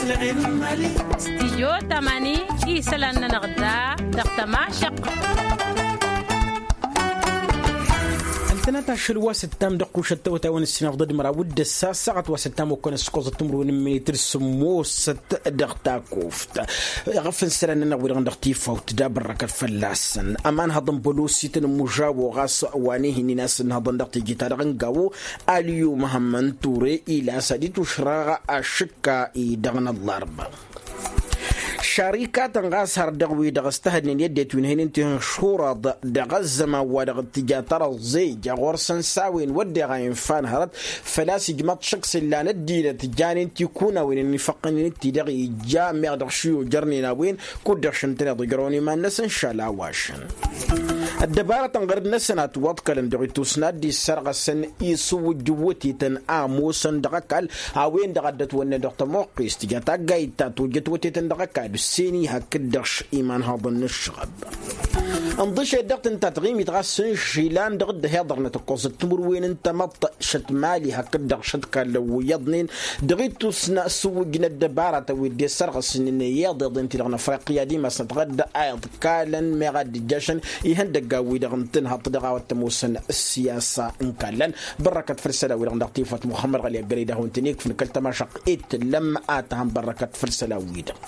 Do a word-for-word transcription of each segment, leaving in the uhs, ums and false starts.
Stijyo tamani isălan-nănăɣ da dăɣ-tămašăq. Ăltănat ašăl wa s-ǝttam dăɣ-kušăt tawătay wa n-ǝssinafḍăd măraw d-ǝssa ăssaɣăt wa s-ǝttam okănăs kosăt timǝrwen n-minitǝr sǝmmosăt dăɣ-takuft. Iɣăf n-isălan-nănăɣ wi-dăɣ dăɣ-tifawt da bărrăkăt fălla-săn. Ămanhăḍ n-bălosităn n-mužawo ɣas wa n-ihi n-inas ǝnhăḍăn dăɣ-teje-ta-dăɣ n-gawo. Aliyu măhămmăn ture ila s-ad-itušrăɣ ašǝkka-i-dăɣ n-ăllarba. Šarikatăn ɣas har dăɣ-wi-dăɣ ăstăhădnen i-ăddinăt wi n-hin-ǝnta ihăn šuraḍ dăɣ-ăzzăman wa dăɣ-tǝja tărăẓẓe ija ɣur-săn s-a-wen wădden a infa n-hărăt. Făl-a-s ijmăḍ šăkk s-ǝllan ăddinăt janen tikunawen ănifăqqănen d-ti-dăɣ ija meɣ dăɣ-šiyojărnen a-wen kud-dăɣ šăn tăn-iḍǝjrăwăn iman-năsăn šal a-wa šăn. Ăddăbarătăn ɣărăd-năsăn a ătwăḍkălăn dăɣ-itusna a dd-issărɣăsăn isǝwwǝjj n-wătetăn a ămoosăn dăɣ-ăkall a-wen-dăɣ a dd-ătwănnen dăɣ-tămoqqest tǝja taggayt ta tojjăt wătetăn dăɣ-ăkall ǝssen-i hakd-dăɣ imanhăḍăn n-ǝššăɣăb. Ǝnḍǝšet dăɣ-tǝnta taɣimit ɣas s-inšǝlan dăɣ-dd-ăhiḍărnăt ǝkkoẓăt timǝrwen n-tamăḍt šăt mali hakd-dăɣ šăt kallăn wi iyyăḍnen dăɣ-itusna s-ǝwwǝjj n-ăddăbaratăn wi dd-e-sărɣǝsnen i-iḍeḍen-ti-dăɣ n-afriqya d-imasnăt ɣǝdd a iḍkalăn meɣ a dd-ǝjjašăn ihăndăggan-wi-dăɣ n-tǝnhăḍt dăɣ-a-wa t-ămoosăn ǝssiyasa n-kallăn. Bărrăkăt făll-isălan-wi-dăɣ n-dăɣ-tifawt muxămmăd ɣăli ăggălăy d-ad-hawăn-tăn-ikfǝn kăl-tamašăɣt i-tǝllăm a tăhăn bărrăkăt făll-isălan-wi-dăɣ.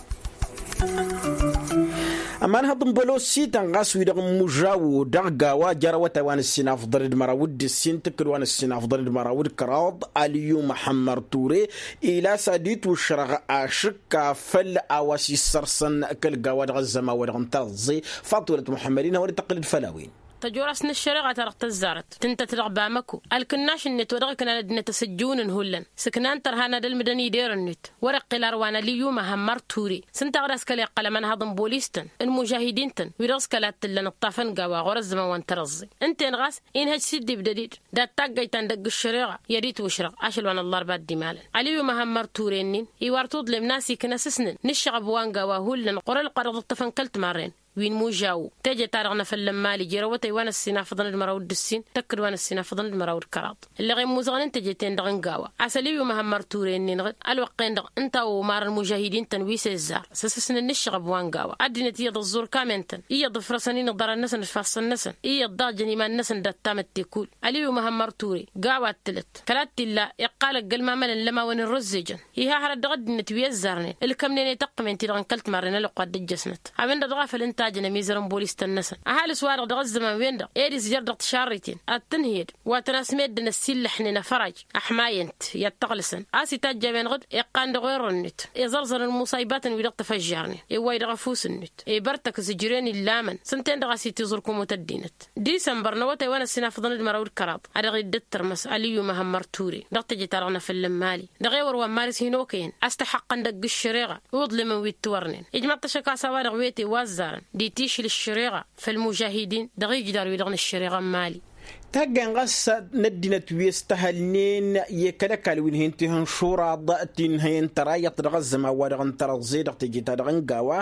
Ămanhăḍ n-bălosităn ɣas wi-dăɣ n-mužawo dăɣ-gawa jer-awătay wa n-ǝssin afḍăn d-măraw d-ǝssin tǝkkǝd wa n-ǝssin afḍăn d-măraw d-kăraḍ aliyu măhămmăr ture ila s-ad-itušrăɣ ašǝkka făll-a-wa s-issărsăn kăl-gawa dăɣ-ăzzăman wa dăɣ-n tărăẓẓe. Faṭulăt muḥămmăd-in hawăn-dd-tăqqǝlăd făll-a-wen. Tăjorast n-ăššăreɣa-ta-dăɣ tăzzarăt tǝntăt dăɣ-bamăko ălkǝnnaš-net wa dăɣ-iknan ăddinăt asǝjjǝwăn n-hullan sǝknan tărha n-ad-ălmǝdăn ideren-net. Wăr-iqqǝl arwan aliyyu măhămmăr ture s-ǝnta a ɣǝd-as kăla iqqăl ămanhăḍ n-bolis-tăn n-mužahidin-tăn wi-dăɣ s-kăla t-tǝllăn ǝṭṭafăn gawa ɣur-ăzzăman wa n-tărăẓẓe. Ǝnta-en ɣas inhăj s-dd-ibdăd-dd dat-taggăyt ta n-dăgg-ǝššăreɣa i-ad-itwǝšrăɣ ašăl wa n-ăllarba d-imalăn. Aliyyu măhămmăr ture-nin iwar tuḍlem n-asiknăs s-nǝn n-ǝššăɣăb wa n-gawa hullan ɣur-ălqaḍăḍ ǝṭṭăfăn kăl-timarren wi n-mužawu. Teje-ta-dăɣ n-afăl n-mali jer-awătay wa n-ăssinafăḍăn d-măraw d-ǝssin tăkk-dd wa n-ăssinafăḍăn d-măraw d-kăraḍ. Ǝlleɣ i-ămmuẓăɣăn n-teje-ten-dăɣ n-gawa a-s ăliyu măhămmăr ture-nin ɣǝd ălwăqq-en-dăɣ ǝnta a omar ălmužahidin-tăn wi s-ezzar s-asǝsnǝn n-ǝššăɣăb wa n-gawa ăddinăt iyyăḍ ăẓẓur kamen-tăn iyyăḍ ǝfrăsăn-in iḍarăn-năsăn d-ifassăn-năsăn iyyăḍ daɣ jăn iman-năsăn dat-tamǝtte kull. Ăliyu măhămmăr ture gawa t-tǝlăt kăla t-illa iqqal ăgg-ălmamălăn lămawăn irrǝzzejăn. Iha hărăt dăɣ-ăddinăt wi ăzzarnen ǝlkămnen i-taqqǝmen-ti-dăɣ n-kăl-timarren ălwăqq wa dd-ǝjjăsnăt. A-wen-dăɣ dăɣ-a făl ǝnta a jăn ămizăr n-bolis-tăn-năsăn ăhalǝs-wa-dăɣ dăɣ-ăzzăman-wen-dăɣ ed izzăr dăɣ-tišarriten ad-tǝnhǝyăd wa tăn-asmeddǝn ăsillăḥnen afăraj ăḥmayăn-t i-ad-t-ăɣlǝsăn a-s itajj a-wen-dăɣ dd-iqqan dăɣ-orrăn-net iẓărẓărăn muṣaybatăn wi dăɣ-tăfăžžarnen iwway dăɣ-ăfuss-net. Ibărtăk zǝjren illamăn s-ǝnta-en-dăɣ a-s itiẓur kumut ăddinăt. Disămbăr n-awătay wa n-ăssinafăḍăn d-măraw d-kăraḍ a dăɣ-dd-ǝttărmăs ăliyyu măhămmăr ture dăɣ-teje-ta-dăɣ n-afăl n-mali dăɣ-ewăr wa n-mari s-hin-okăyăn a-s tăxăqqăn dăgg-ǝššăreɣa. Uḍlǝmăn wi t-tiwărnen ijmaḍ-t ašăk a-s a-wa-dăɣ wete wa ăzzarăn d-itišǝl ǝššăreɣa făll-mužahidin dăɣ-ijdar-wi-dăɣ n-ǝššăreɣa n-mali. Taggayăn ɣas n-ăddinăt wi ăstăhălnen i-kăl-ăkall wi n-hin-tihǝnšuraḍ ti n-hăyăn tăra iyyăḍ dăɣ-ăzzăman wa dăɣ-n tărăẓẓe dăɣ-teje-ta-dăɣ n-gawa.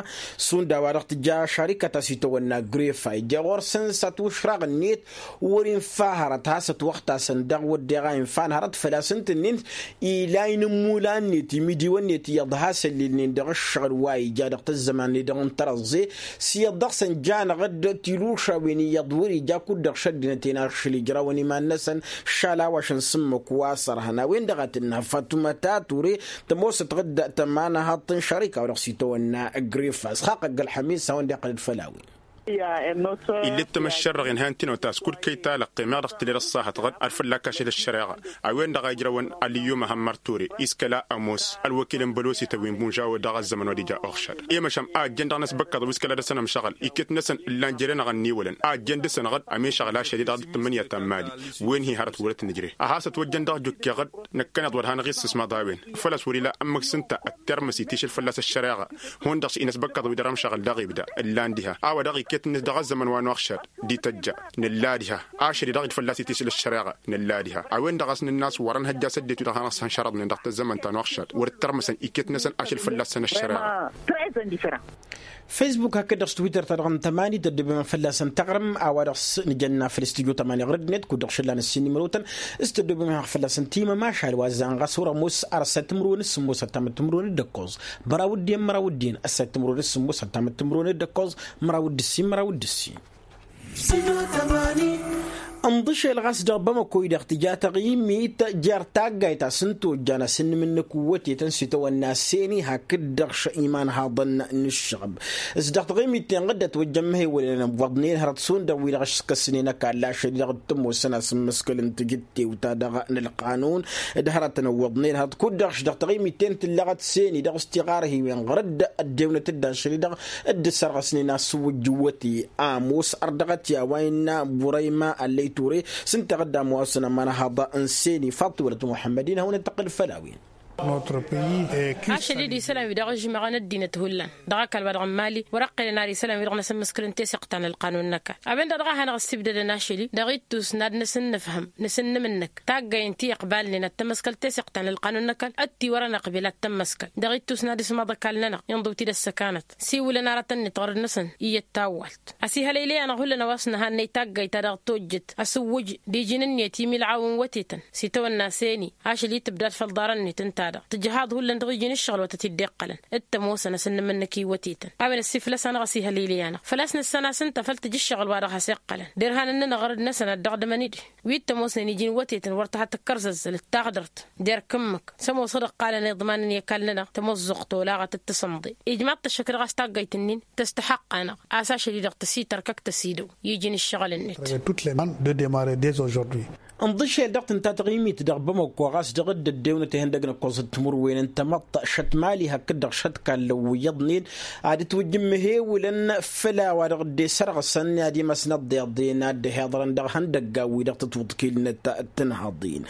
Šund a-wa dăɣ-tǝja šarikăt a-s itawănna grefa ija ɣur-săn s-ătušraɣ-net wăr-infa hărăt has-ătwăxtasăn dăɣ-wădden a infa n-hărăt făl-a-s ǝntǝnnin ila inǝmmulan-net imidiwăn-net iyyăḍ has-ăllilnen dăɣ-ǝššăɣǝl wa ija dăɣ-tăzzăman-net dăɣ-n tărăẓẓe. S-iyyăḍ dăɣ-săn jan-dd tilušawen iyyăḍ wăr-ija kud-dăɣ šăddinăt-en ašăl ijrawăn iman-năsăn šal a-wa šăn s-ǝmmǝk wa s-ărhăn a-wen-dăɣ a tǝnnă fatmăta ture tămoosăt ɣǝd tămanhăḍt n-šărika wa dăɣ-s itawănna grefa s-xaqq ăgg-ălxămis a-wen-dăɣ iqqăl-dd făll-a-wen. Ill'-ittăm ăššărrăɣ inhăyăn tinăwt a-s kud-kăy-ta-lăqqem-aɣ dăɣ-tǝlel ăṣṣahăt ɣǝd ad-fălla-k ašăl ăššăreɣa. A-wen-dăɣ a ijrăwăn ăliyyu măhămmăr ture iskăla ămoos ălwăkil n-bălosităn wi n-imužawo dăɣ-ăzzăman wa d-ija oɣšăd i-măšan a ăjjăn dăɣ-inăsbăkkăḍ wi s-kăla dăr-săn ămšăɣǝl iket-năsăn ǝllan jere-năɣ ănniwălăn a ăjjăn dăr-săn ɣǝd ămišăɣ lašăl-i dăɣ-dd-tǝmmǝnǝya ta n-mali. Wen-hi hărăt wăr-ătnǝjre a hasăt-wăjjăn dăɣ-jukkeɣ-dd năkkăneḍ wăr hanăɣ-issǝsmaḍ a-wen. Făl-a-s wăr-ila ǝmmǝk s-ǝnta ăttărmăs itišǝl fălla-s ăššăreɣa. Hundăɣ s-inăsbăkkăḍ wi dăr-ămšăɣǝl dăɣ-ibda ǝllan diha a-wa dăɣ-iket-net dăɣ-ăzzăman wa n-oɣšăd d-ităjja. Nǝlla diha ašăl-i-dăɣ-dd fălla-s itišǝl ăššăreɣa. Nǝlla diha a-wen-dăɣ a-s nǝnn'-as wăr-ănhăjja s-ăddinăt wi-dăɣ hanăɣ-săn šărăḍnen dăɣ-tăzzămăn ta n-oɣšăd wăr-ǝttărmăsăn iket-năsăn ašăl fălla-săn ăššăreɣa. Facebook hakd-dăɣ s-twitter-ta-dăɣ n-tămani tăddoobem fălla-săn taɣrǝm a-wa dăɣ-s nǝjănna făll-studyo tămani ɣur-ăddinăt kud-dăɣ šăllan ǝssin n-imrotăn s-tăddoobem fălla-săn timămašal wa ăzzanɣas wăr-ămoos ar ăssay timǝrwen s-sǝmmos ăttamăt timǝrwen d-ǝkkoẓ. Băraw d-iyyăn măraw d-iyyăn ăssay timǝrwen s-sǝmmos ăttamăt timǝrwen d-ǝkkoẓ măraw d-ǝssin măraw d-ǝssin. Ǝnḍǝšel ɣas dăɣ-bamăko-i-dăɣ tǝja taɣimit jer-taggayt a-s n-tojjan asǝnnǝm-năk wătetăn s-itawănna seni hakd-dăɣ imanhaḍăn n-ǝššăɣb s-dăɣ taɣimit-ten ɣǝddăt wăjjăn măhewălăn ăwwăḍnen hărăt šund dăɣ-wi-dăɣ ăškăsnen ăkall ašăl-i-dăɣ t-ămoosăn asǝmmǝskăl n-tijǝttewt-ta-dăɣ n-ălqanun d-hărătăn ăwwăḍnen hărăt kud-dăɣ s-dăɣ taɣimit-ten tǝllăɣăt seni dăɣ-s tiɣarhiwen ɣur-dd ăddewnăt-dd ašăl-i-dăɣ dd-ăssărɣăsnen asǝwwǝjj n-iwăte. Ămoos ărdăɣăt i-a-wa innă burăyma ăllăy ture s-ǝnta a dd-ămoosăn ămanhaḍ n-seni faḍt wălăt muḥămmăd-in hawăn-dd-tăqqǝl făll-a-wen. Ašăl-i-dd isălan-wi-dăɣ ǝžmăɣăn ăddinăt hullan dăɣ-ăkall wa dăɣ-n mali wăr-ăqqelăn ar isălan-wi-dăɣ n-asǝmmǝskǝl n-teseɣt ta n-ălqanun n-ăkall a-wen-dăɣ dăɣ-a hanăɣ-ăssibdădăn ašăl-i dăɣ-ittus n-ad-năsǝnnǝfhǝm nǝsǝnnǝm-năk taggayen ti iqbalnen ad-tămăskăl teseɣt ta n-ălqanun n-ăkall ăttiwărăn ăqbel ad-tămmăskăl dăɣ-ittus n-ad-ismaḍ ăkall-nănăɣ inḍǝw-t-dd ăssăkanăt siwǝlăn aratăn-net ɣur-dd-năsăn iyyăt tawwalt. Ăsihăl eylăy-anăɣ hullan a-wa s-nǝhannăy taggayt-ta-dăɣ tojjăt asǝwwǝj d-iji n-ǝnniyăt imilɣaw n-wătetăn s-itawănna seni ašăl-i tǝbdad făll-iḍarăn-net ǝnta-dăɣ tǝjhaḍ hullan dăɣ-iji n-ǝššăɣǝl wa tăt-dd-iqqălăn d-tămoosăn asǝnnǝm-năk i-wătetăn. A-wen ăssiflăs-anăɣ ăsihăl eylăy-anăɣ făl-a-s nǝssan-as ǝnta făll-tǝjǝššăɣǝl wa dăɣ-has-iqqălăn derhan ǝnnănăɣ ɣărăd-năsăn ad-dăɣ-dămăn-dd wi t-ămoosnen iji n-wătetăn wăr tăha tǝkkărzăzzălăt taɣdărt. Der-kǝmmǝk s-ămoosăɣ d-ăqqalăn iḍmanăn i-ăkall-nănăɣ tămoẓẓuɣt olaɣăt d-tasǝnḍe. Ijmaḍ-t ăššăk dăɣ-as taggayt-nin tăstăxăqqanăɣ a-s ašăl-i-dăɣ tăsitărkăk tăsidăw iji n-ǝššăɣǝl-net. Ănḍǝšel dăɣ-tǝnta taɣimit dăɣ-bamăko ɣas dăɣ-dd-ăddewnăt ihăndăg n-ǝkkoẓăt timǝrwen n-tamăḍt šăt mali hakd-dăɣ šăt kallăn wi iyyăḍnen. Ad-ǝtwǝjjǝm mihewǝlăn făll-a-wa dăɣ-dd-e sărɣǝsăn ad-imasnăḍ d-iḍen ad-dd-hiḍărăn dăɣ-ihăndăggan-wi-dăɣ tǝtwǝḍkilnăt. Tǝnhăḍin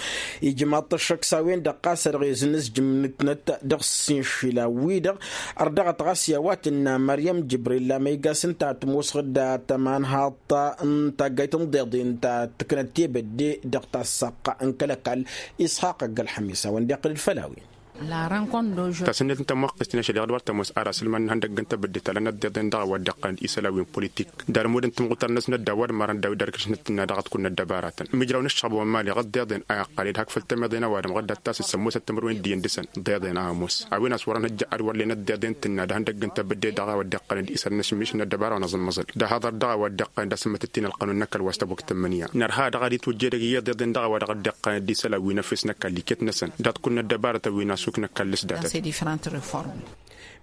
ijmaḍ-t ăššăk s-a-wen-dăɣ ɣas a-dăɣ-e zǝnnǝzjǝmnǝtnăt dăɣ-s inšila-wi-dăɣ. Ărdăɣăt ɣas i-a-wa tǝnna măryăm jǝbril amăygas ǝnta a tămoosăɣ-dd a tămanhaḍt n-taggayt n-ḍeḍen ta tǝknăt tebădde dăɣ-tassaqqa n-kăl-ăkall. Isxaq ăgg-ălxămis a-wen-dd-iqqǝl-dd făll-a-wen. Tasǝnnet n-tămmuqqǝst-in ašăl i-dăɣ d-wăr tămoos ar asǝlman n-ihăndăgg n-tebădde talănăt deḍen dăɣ-a-wa dd-iqqălăn d-isălan wi n-politik d-almud n-timɣutar-năsnăt d-a-wa d-marăn d-a-wi dd-arkǝšnăt tǝnna dăɣ-ad-kunnăt dăbaratăn. Mijraw n-ǝššăɣb wa n-mali ɣǝd deḍen a iqqăl-dd hak făll-temeḍe n-ăwadǝm ɣǝddat ta s-ǝssămmosăt timǝrwen d-iyyăn dăɣ-săn deḍen a ămoos a-wen a-s wăr-ănhăjja ad-wăr lenăt deḍen tǝnna d-ihăndăgg n-tebădde dăɣ-a-wa dd-iqqălăn d-isălan n-ašǝmmiš n-ăddăbara wa n-aẓǝmmăẓăl d-ahăḍăr dăɣ-a-wa dd-iqqălăn d-asǝmmătăt-in ălqanun n-ăkall wa s-tabukt tǝmmǝnǝya. Nărha dăɣ-ad-itwǝjja edăgg iyyăḍ deḍen dăɣ-a-wa dăɣ-dd-iqqălăn d-isălan wi n-efes n-ăkall iket-năsăn dat-kunnăt dăbaratăn wi n-asuk n-ăkall s-datăn.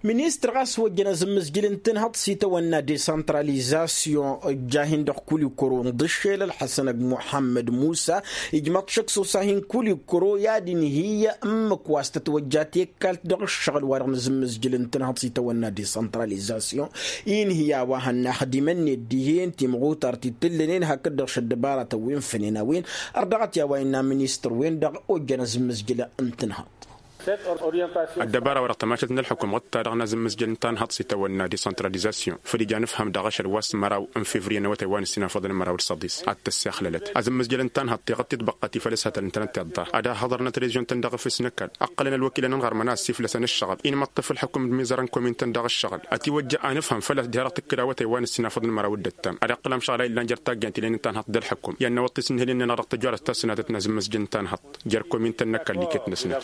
Ministăr ɣas ojjăn azǝmmǝzjǝl n-tǝnhăḍt s-itawănna desăntralizasyon ǝjja-hin-dăɣ kulikoro ǝnḍǝššel ălḥăsăn ăgg muḥămmăd musa. Ijmăḍ šăkk s-osa-hin kulikoro i-ad-inhǝy ǝmmǝk wa s-tătwăjja tekkalt dăɣ-ǝššăɣǝl-wa-dăɣ n-azǝmmǝzjǝl n-tǝnhăḍt s-itawănna desăntralizasyon. Inhǝy a-wa hănnaxdimăn-net dihen timɣutar ti t-ǝllănen hakd-dăɣ šăddăbaratăn wi n-fănen a-wen. Ărdăɣăt i-a-wa innă ministăr-wen-dăɣ ojjăn azǝmmǝzjǝl n-tǝnhăḍt. Ăddăbara-wa-dăɣ tămašalt n-ălxukum ɣǝd-ta-dăɣ n-azǝmmǝzjăl n-tanhăḍt s-itawănna desăntralizasyon făl ija n-ǝfhăm dăɣ-ašăl wa s-măraw n-fevriye n-awătay wa n-ǝssin afăḍăn măraw d-săḍis ad-tăssexlălăt azǝmmǝzjăl n-tanhăḍt teɣăt tidbăqqat ifăl s-hătăl ǝntănăt tiḍḍar ad-ăhhăḍărnăt rezion-tăn dăɣ-efes n-ăkall. Ǝqqălăn ălwăkilăn n-iɣărmăn a ăssiiflăsăn ǝššăɣăb-i n-imăṭṭăf ǝlxǝkum d-imizărăn komin-tăn dăɣ-ǝššăɣǝl ătiwăjja anǝfhăm făl-a-s derhăɣ tǝkkǝd awătay wa n-ǝssin afăḍăn măraw d-ăttam ad-iqqǝl amšăɣlay ǝllan jer-taggayăn ti ǝllen n-tanhăḍt d-ălxǝkum i-ad-năwăḍ tisǝnhǝlin-nănăɣ dăɣ-tijorăt ta s-sănatăt n-azǝmmǝzjǝl n-tanhăḍt jer-komin-tăn n-ăkall iket-năsnăt.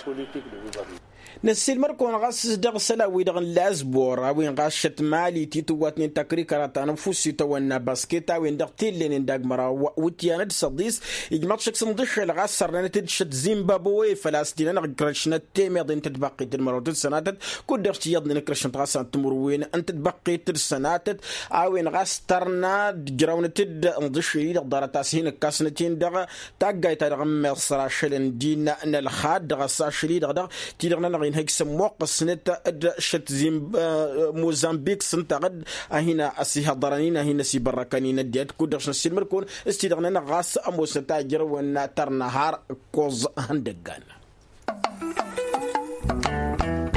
Năssiilmăr-kăwăn ɣas dăɣ-isălan-wi-dăɣ n-lazbor a-wen ɣas šăt mali titǝwwatnen takrikăra ta n-ăfuss itawănna basket a-wen-dăɣ tellănen d-agmăraw wǝtyan d-săḍis. Ijmăḍ šăkk s-ǝnḍǝššel ɣas sărnenăt-dd šăt zimbabwe făl-a-s dinănăɣ ikrăšnăt temeḍe n-tǝtbăqqit d-măraw tǝssănatăt kud-dăɣ s-iyyăḍnen ikrăšnăt ɣas a n-timǝrwen n-tǝtbăqqit d-sănatăt. A-wen ɣas tărna d-ǝjrawnăt-dd ǝnḍǝššel-i-dăɣ ḍarăt a-s hin-ǝkkasnăt-in dăɣ-taggayt-ta-dăɣ n-miṣr ašăl ǝndin n-ălxad dăɣ-ăssašăl-i-dăɣ dăɣ-ti-dăɣ-nănăɣ inhăj s-ămmuqqǝsnăt d-šăt zimb mozambik s-ǝnta ɣǝd a hin-ăsihăḍărăn-in a hin-ăsibărrăkăn-in ăddinăt kud-dăɣ s-năssiilmăd-kăwăn s-ti-dăɣ-nănăɣ ɣas ămoosnăt a ǝjrăwăn tărna har ǝkkoẓ ihăndăggan.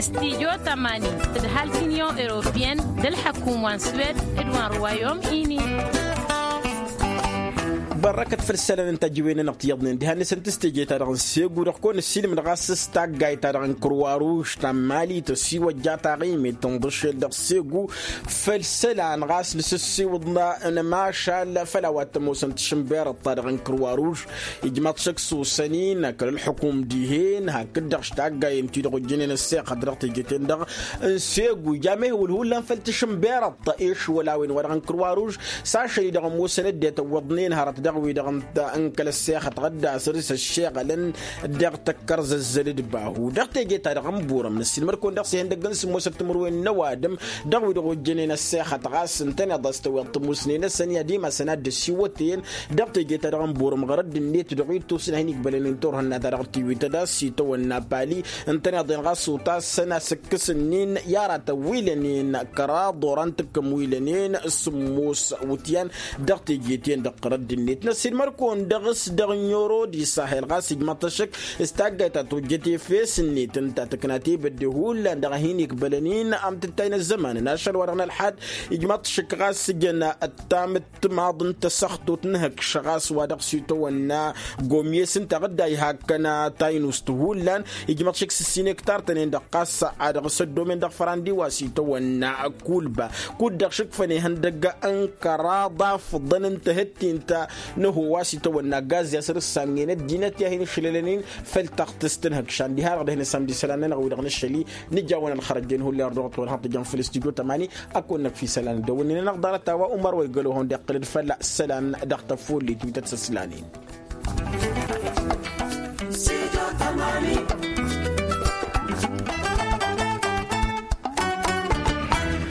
Studyo tămani tǝdhal t-inyon europeyăn d-ălḥăkum wa n-swed d-wa n-ruwayom ini. Bărrăkăt făll-isălan n-tajǝwen-nănăɣ ti iyyăḍnen diha-net ǝnta s-teje-ta-dăɣ n-segu dăɣ-kăwăn-ăssiilmǝd ɣas s-taggayt-ta-dăɣ n-kărwa ruž ta n-mali tăsiwăjja taɣimet tǝnḍǝšel dăɣ-segu. Făll-isălan ɣas nǝsǝssiwǝḍ n-emašal făll-a-wa t-ămoosăn tišǝnberăḍt-ta-dăɣ n-kărwa ruž. Ijmaḍ šăkk s-osăn-in kăl-ălxukum dihen hakd-dăɣ s-taggayen-ti-dăɣ ojjănen ăssexăt dăɣ-teje-ten-dăɣ n-segu ija mehwǝl hullan făll-tišǝnberăḍt išwăl a-wen wa dăɣ-n kărwa ruž. S-ašăl-i-dăɣ ămoosăn ăddinăt ăwwăḍnen hărăt dăɣ-wi-dăɣ n-kăl-ăssexăt ɣǝdda săr-s ăššeɣălăn dăɣ-tăkkărzăzzăl d-bahu dăɣ-teje-ta-dăɣ n-burăm n-ăssiilmăr-kăwăn dăɣ-s ihăndăgg n-sǝmmosăt timǝrwen n-ăwadǝm. Dăɣ-wi-dăɣ ojjănen ăssexăt ɣas ǝntăneḍ a-s tăweḍ tămusne-năsăn i-ad-imasăn ad-dd-ăsiwătăyăn dăɣ-teje-ta-dăɣ n-burăm ɣărădd-net dăɣ-ittus n-ad-hin-ikbălăn n-turhǝnna-ta-dăɣ tiwităd a-s itawănna pali. Ǝntăneḍ-en ɣas utasăn asǝkkǝs-nin i-aratăn wi lănen kăraḍ oran tǝkkăm wi lănen sǝmmos wǝtyan. Dăɣ-teje-ten-dăɣ ɣărădd-net n-ăssiilmăr-kăwăn dăɣ-s dăɣ-n yorodi sahel ɣas ijmăḍ-t ăššăk s-taggayt ta tojjăt efes-net ǝnta tǝkna tebădde hullan dăɣ-a hin-ikbălăn-in amtǝttay n-ăzzăman n-ašăl wa dăɣ-nălḥad. Ijmăḍ-t ăššăk ɣas s-jăn ăttamǝt timaḍ n-tasăxtut n-hǝkš ɣas wa dăɣ-s itawănna gomyes ǝnta ɣǝdday hakkăn taynust hullan. Ijmăḍ šik s-ǝssin ektar-tăn-en-dăɣ ɣas a dăɣ-s ăddomen dăɣ-fărandi wa s-itawănna kulba kud-dăɣ šik făn ihăndăgg n-kăraḍ afǝḍăn n-tihǝttint n-ăho wa s-itawănna gaz i-asăr ǝssangen ăddinăt i-ad-hin-išlălăn-in. Făll-taɣtǝst n-hǝkšan diha-dăɣ dăh-nǝsam d-isălan-nănăɣ wi-dăɣ nǝššăl-i nǝja-wăn ălxărăjjen hullan ărdăɣăt-wăn hăḍḍǝjăn făll-studyo tămani. Ad-kăwăn-năkf isălan d-ăwwănnen-anăɣ ḍarăt a-wa umăr wa igălohon d-iqqǝl-dd fălla isălan dăɣ-tăfullit wi tăt-săslănen.